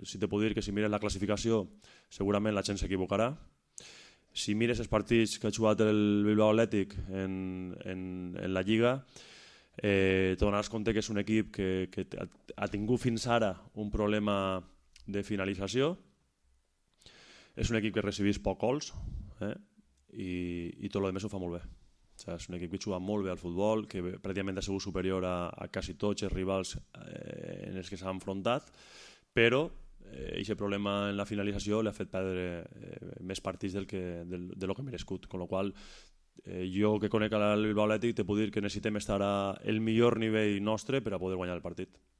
si te puc dir que si mires la classificació segurament la gent s'equivocarà. Si mires els partits que ha jugat el Bilbao Athletic en la Lliga, te donaràs compte que és un equip que ha tingut fins ara un problema de finalització. És un equip que recibís poc gols i tot el més ho fa molt bé. O sigui, és un equip que juga molt bé al futbol, que pràcticament ha sigut superior a quasi tots els rivals en els que s'ha enfrontat, però aquest problema en la finalització li ha fet perdre més partits del que merescut, amb la qual jo que conec el Bilbao Athletic te puc dir que necessitem estar al millor nivell nostre per a poder guanyar el partit.